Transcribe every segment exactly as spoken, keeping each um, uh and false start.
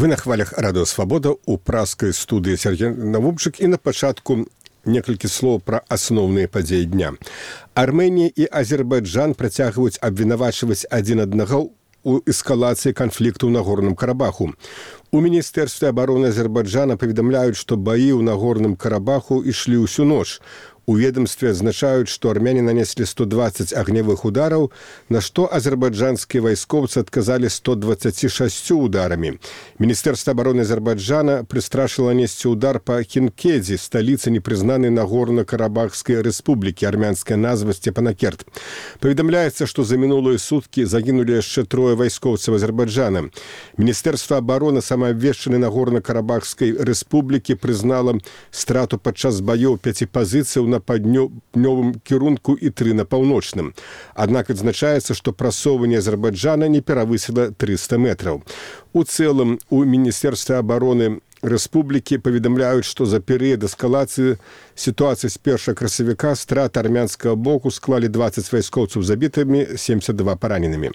Вы на хвалях радыё Свабода ў праскай студыі Сергей Навумчык, і на пачатку некалькі слоў пра асноўныя падзеі дня. Армэнія і Азербайджан працягваюць абвінавачваць адзін аднаго у эскалацыі канфлікту ў Нагорным Карабаху. У Міністэрстве абароны Азербайджана паведамляюць, што баі ў Нагорным Карабаху ішлі ўсю ноч. У ведомстве адзначаюць, што армяне нанеслі сто дваццаць агнявых удараў, на што азербайджанскія вайскоўцы адказалі сто дваццаць шэсцю ударамі. Міністэрства абароны Азербайджана прыстрашыла несці удар па Хінкедзе, сталіцы непрызнанай Нагорна-Карабахскай рэспублікі, армянская назва Степанакерт. Паведамляецца, што за мінулыя суткі загінулі яшчэ трое вайскоўцаў Азербайджана. Міністэрства абароны самаабвешчанай Нагорна-Карабахскай рэспублікі прызнала страту падчас баёў пяці пазіцыяў на паўднёвым кірунку і тры на паўночным. Аднак адзначаецца, што прасоўванне Азербайджана не перавысіла трыста метраў. У цэлым, у Міністэрстве абароны рэспублікі паведамляюць, што за перыяд эскалацыі сітуацыі з першага красавіка страты армянскага боку склалі дваццаць вайскоўцаў забітымі, семьдесят два параненымі.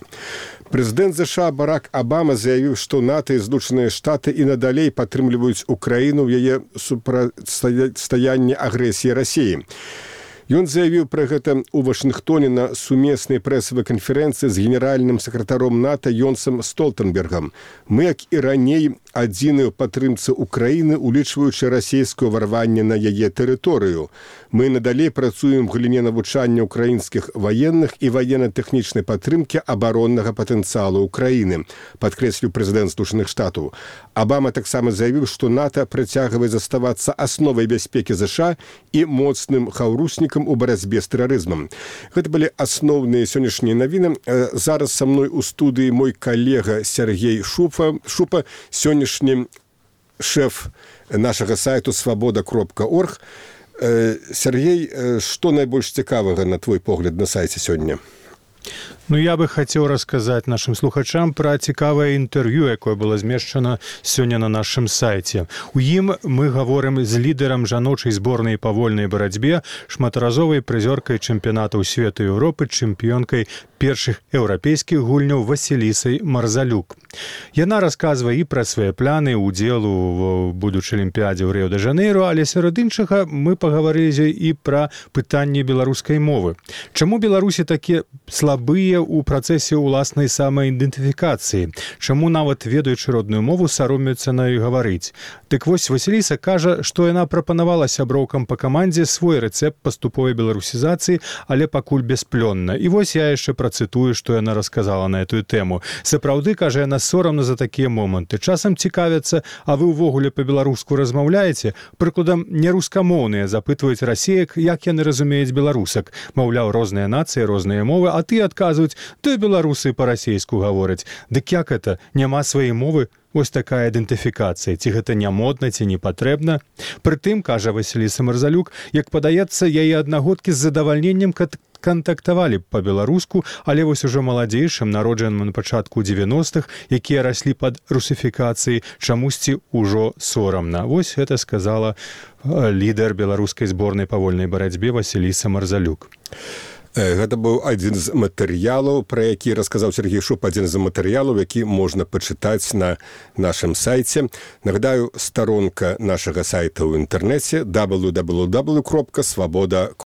Прэзідэнт ЗША Барак Абама заявіў, што НАТО і Злучаныя Штаты і надалей падтрымліваюць Украіну ў яе супрацьстаянні агрэсіі Расіі. Ён заявіў пра гэта ў Вашынгтоне на сумеснай прэсавай канферэнцыі з генеральным сакратаром НАТО Йонсом Столтенбергам. Мы, як і раней, адзіныя ў падтрымцы Украіны, улічваючы расійскае ўварванне на яе тэрыторыю. Мы надалей працуем у галіне навучання ўкраінскіх ваенных і ваенна-тэхнічнай падтрымкі абароннага патэнцыялу Украіны, падкрэсліў прэзідэнт Злучаных Штатаў. Абама таксама заявіў, што НАТО працягвае заставацца асновай бяспекі ЗША і моцным хаўруснікам у барацьбе з тэрарызмам. Гэта былі асноўныя сённяшнія навіны. Зараз са мной у студыі мой калега Сергей Шупа, Шупа, сённяшні шэф нашага сайту свабода кропка орг. Сергей, што найбольш цікавага, на твой погляд, на сайце сёння? Ну, я бы хацеў расказаць нашым слухачам пра цікавае інтэрв'ю, якое было змешчана сёння на нашым сайце. У ім мы гаворым з лідарам жаночай зборнай па вольнай барацьбе, шматразовай прызёркай чэмпіянатаў свету і Еўропы, чэмпіёнкай першых еўрапейскіх гульняў Васілісай Марзалюк. Яна расказвае і пра свае планы ўдзелу ў будучай алімпіядзе ў Рыё-дэ-Жанейро, але сярод іншага мы пагаварылі і пра пытанне беларускай мовы. Чаму беларусі такія слабыя у працэсе ўласнай самаідэнтыфікацыі? Чаму нават ведаючы родную мову саромеюцца на ёй гаварыць? Дык вось Васіліса кажа, што яна прапанавала сяброўкам па камандзе свой рэцэпт паступовай беларусізацыі, але пакуль бясплённа. І вось я яшчэ працытую, што яна расказала на этую тэму. Сапраўды, кажа, яна сорамна за такія моманты. Часам цікавяцца, а вы ўвогуле па-беларуску размаўляеце? Прыкладам, нерускамоўныя запытваюць расеек, як яны разумеюць беларусак. Маўляў, розныя нацыі, розныя мовы, а ты адказваюць, ты беларусы па-расейску гавораць. Дык як это? Няма сваёй мовы? Вось такая ідэнтыфікацыя. Ці гэта не модна, ці не патрэбна? Прытым, кажа Васіліса Марзалюк, як падаецца, яе аднагодкі з задавальненнем кантактавалі па-беларуску, але вось ужо маладзейшым, народжаным на пачатку дзевяностых, якія раслі пад русіфікацыяй, чамусьці ўжо сорамна. Вось гэта сказала лідар беларускай зборнай па вольнай барацьбе Васіліса Марзалюк. Гэта быў адзін з матэрыялаў, пра які расказаў Сергей Шуп, адзін з матэрыялаў, які можна пачытаць на нашым сайце. Нагадаю, старонка нашага сайта ў інтэрнэце дабл ю дабл ю дабл ю кропка свабода